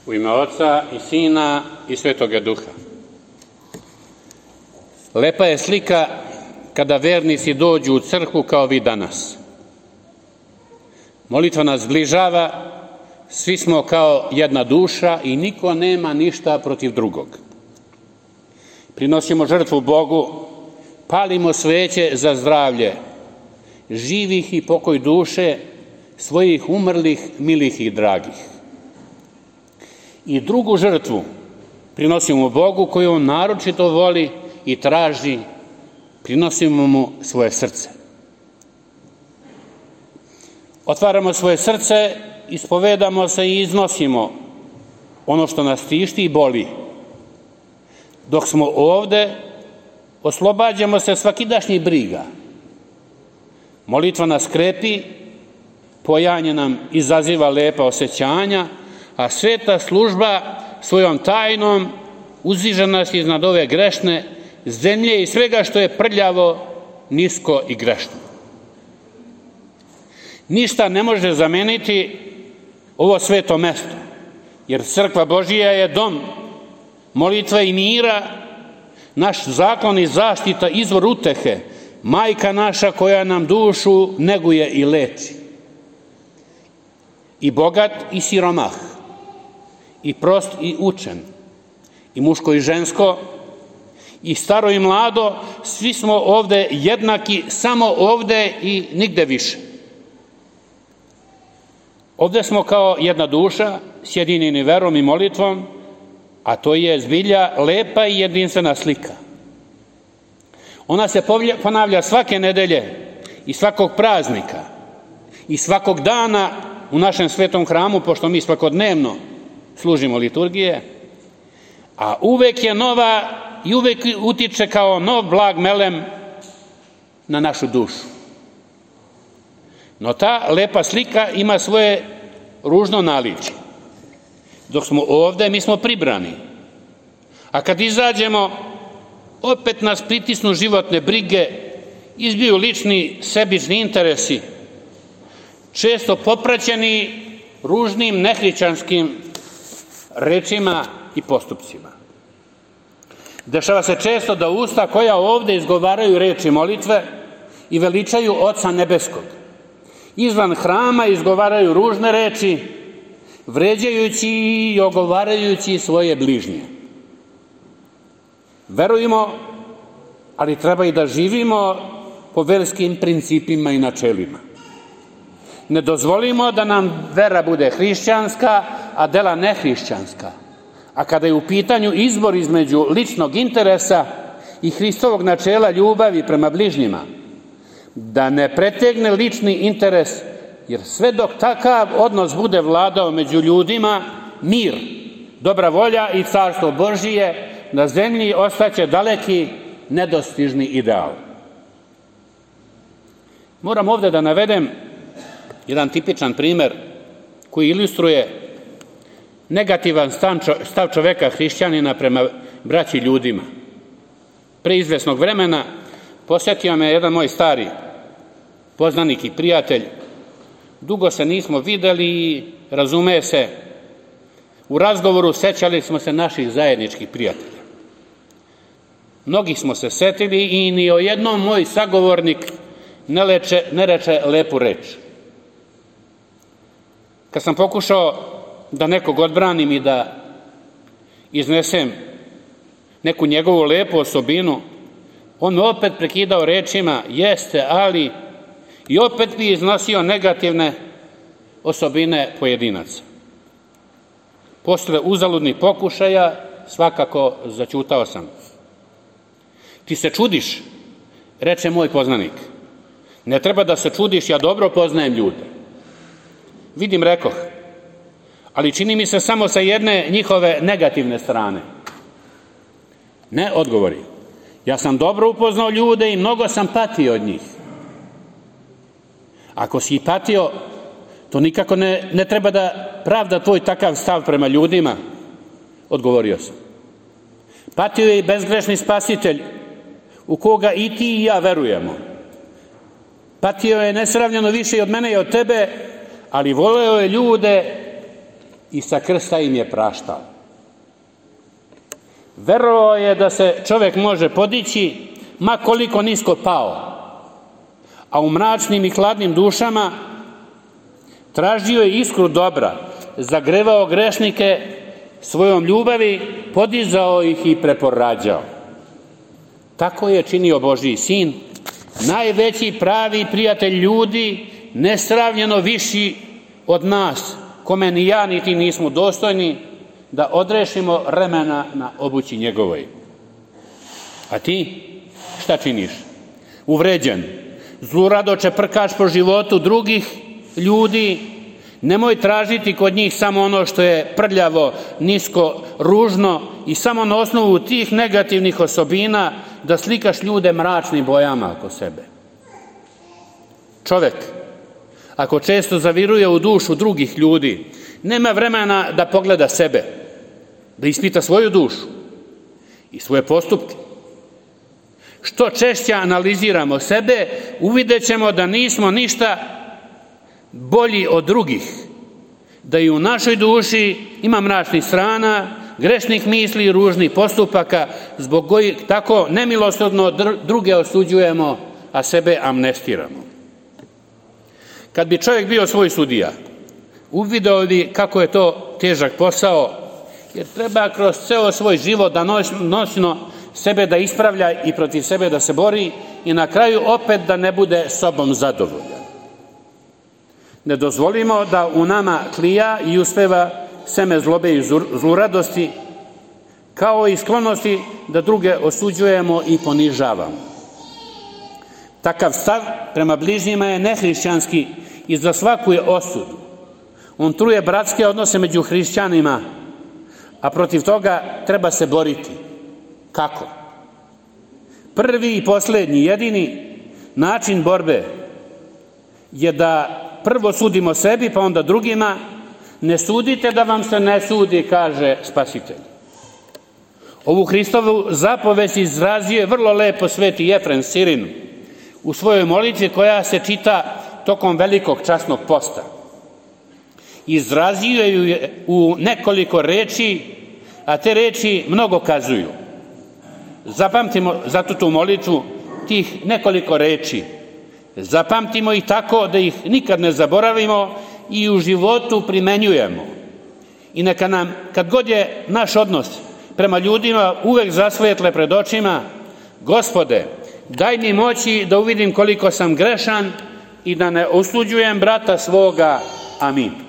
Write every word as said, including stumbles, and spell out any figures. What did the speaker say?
U ime Oca i Sina i Svetoga Duha. Lepa je slika kada vernici dođu u crkvu kao vi danas. Molitva nas zbližava, svi smo kao jedna duša i niko nema ništa protiv drugog. Prinosimo žrtvu Bogu, palimo sveće za zdravlje živih i pokoj duše svojih umrlih, milih i dragih. I drugu žrtvu prinosimo Bogu koju on naročito voli i traži, prinosimo mu svoje srce. Otvaramo svoje srce, ispovedamo se i iznosimo ono što nas tišti i boli. Dok smo ovde, oslobađamo se svakidašnjih briga. Molitva nas krepi, pojanje nam izaziva lepa osjećanja, a sveta služba svojom tajnom uzdiže nas iznad ove grešne zemlje i svega što je prljavo, nisko i grešno. Ništa ne može zameniti ovo sveto mesto, jer crkva Božija je dom molitve i mira, naš zakon i zaštita, izvor utehe, majka naša koja nam dušu neguje i leči. I bogat i siromah, i prost i učen, i muško i žensko, i staro i mlado, svi smo ovde jednaki, samo ovde i nigde više. Ovde smo kao jedna duša, sjedinjeni verom i molitvom, a to je zbilja lepa i jedinstvena slika. Ona se ponavlja svake nedelje i svakog praznika i svakog dana u našem svetom hramu, pošto mi svakodnevno služimo liturgije, a uvek je nova i uvek utiče kao nov blag melem na našu dušu. No ta lepa slika ima svoje ružno naličje. Dok smo ovde, mi smo pribrani. A kad izađemo, opet nas pritisnu životne brige, izbiju lični sebični interesi, često popraćeni ružnim nehrišćanskim rečima i postupcima. Dešava se često da usta koja ovde izgovaraju reči molitve i veličaju Oca Nebeskog, izvan hrama izgovaraju ružne reči, vređajući i ogovarajući svoje bližnje. Verujemo, ali treba i da živimo po verskim principima i načelima. Ne dozvolimo da nam vera bude hrišćanska, a dela nehrišćanska. A kada je u pitanju izbor između ličnog interesa i Hristovog načela ljubavi prema bližnjima, da ne pretegne lični interes, jer sve dok takav odnos bude vladao među ljudima, mir, dobra volja i carstvo Božije na zemlji ostaće daleki, nedostižni ideal. Moram ovde da navedem jedan tipičan primer koji ilustruje negativan stav čoveka hrišćanina prema braći ljudima. Pre izvesnog vremena posjetio me jedan moj stari poznanik i prijatelj. Dugo se nismo videli i razume se, u razgovoru sećali smo se naših zajedničkih prijatelja. Mnogi smo se setili i ni o jednom moj sagovornik ne, leče, ne reče lepu reč. Kad sam pokušao da nekog odbranim i da iznesem neku njegovu lepu osobinu, on me opet prekidao rečima, jeste, ali, i opet bi iznosio negativne osobine pojedinaca. Posle uzaludnih pokušaja svakako zaćutao sam. Ti se čudiš, reče moj poznanik. Ne treba da se čudiš, ja dobro poznajem ljude. Vidim, rekoh, ali čini mi se samo sa jedne njihove negativne strane. Ne, odgovori. Ja sam dobro upoznao ljude i mnogo sam patio od njih. Ako si i patio, to nikako ne, ne treba da pravda tvoj takav stav prema ljudima, odgovorio sam. Patio je i bezgrešni Spasitelj, u koga i ti i ja verujemo. Patio je nesravnjeno više i od mene i od tebe, ali voleo je ljude i sa krsta im je praštao. Verovao je da se čovjek može podići, ma koliko nisko pao, a u mračnim i hladnim dušama tražio je iskru dobra, zagrevao grešnike svojom ljubavi, podizao ih i preporađao. Tako je činio Božji sin, najveći pravi prijatelj ljudi, nesravnjeno viši od nas, kome ni ja ni ti nismo dostojni da odrešimo remena na obući njegovoj. A ti šta činiš? Uvređen, zlurado čeprkaš po životu drugih ljudi, nemoj tražiti kod njih samo ono što je prljavo, nisko, ružno i samo na osnovu tih negativnih osobina da slikaš ljude mračnim bojama oko sebe. Čovjek, ako često zaviruje u dušu drugih ljudi, nema vremena da pogleda sebe, da ispita svoju dušu i svoje postupke. Što češće analiziramo sebe, uvidjet ćemo da nismo ništa bolji od drugih, da i u našoj duši ima mračnih strana, grešnih misli i ružnih postupaka, zbog kojih tako nemilosrdno druge osuđujemo, a sebe amnestiramo. Kad bi čovjek bio svoj sudija, uvideo bi kako je to težak posao, jer treba kroz ceo svoj život danonoćno sebe da ispravlja i protiv sebe da se bori i na kraju opet da ne bude sobom zadovoljan. Ne dozvolimo da u nama klija i uspeva seme zlobe i zluradosti, kao i sklonosti da druge osuđujemo i ponižavamo. Takav stav prema bližnjima je nehrišćanski i za svaku je osudu. On truje bratske odnose među hrišćanima, a protiv toga treba se boriti. Kako? Prvi i posljednji, jedini način borbe je da prvo sudimo sebi, pa onda drugima. Ne sudite da vam se ne sudi, kaže Spasitelj. Ovu Hristovu zapovest izrazio je vrlo lepo sveti Jefrem Sirin u svojoj molitvi koja se čita tokom velikog časnog posta. Izrazio ju je u nekoliko reči, a te reči mnogo kazuju. Zapamtimo zato tu molitvu tih nekoliko reči. Zapamtimo ih tako da ih nikad ne zaboravimo i u životu primenjujemo. I neka nam, kad god je naš odnos prema ljudima uvek zasvijetle pred očima, Gospode, daj mi moći da uvidim koliko sam grešan i da ne osuđujem brata svoga. Amin.